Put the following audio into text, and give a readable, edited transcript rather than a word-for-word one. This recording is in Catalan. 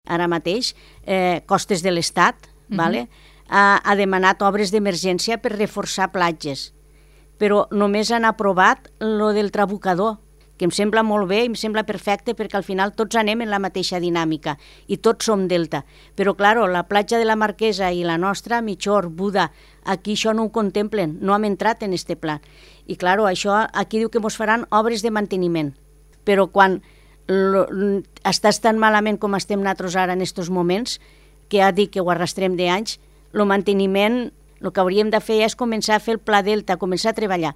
ara mateix, Costes de l'Estat, ha demanat obres d'emergència per reforçar platges, però només han aprovat lo del trabucador, que em sembla molt bé i em sembla perfecte perquè al final tots anem en la mateixa dinàmica i tots som delta. Però, clar, la platja de la Marquesa i la nostra, Migjorn, Buda, aquí això no ho contemplen, no hem entrat en este pla. I, clar, això aquí diu que ens faran obres de manteniment, però quan estàs tan malament com estem nosaltres ara en aquests moments, que ha dit que ho arrastrem d'anys, el manteniment, el que hauríem de fer és començar a fer el pla delta, començar a treballar.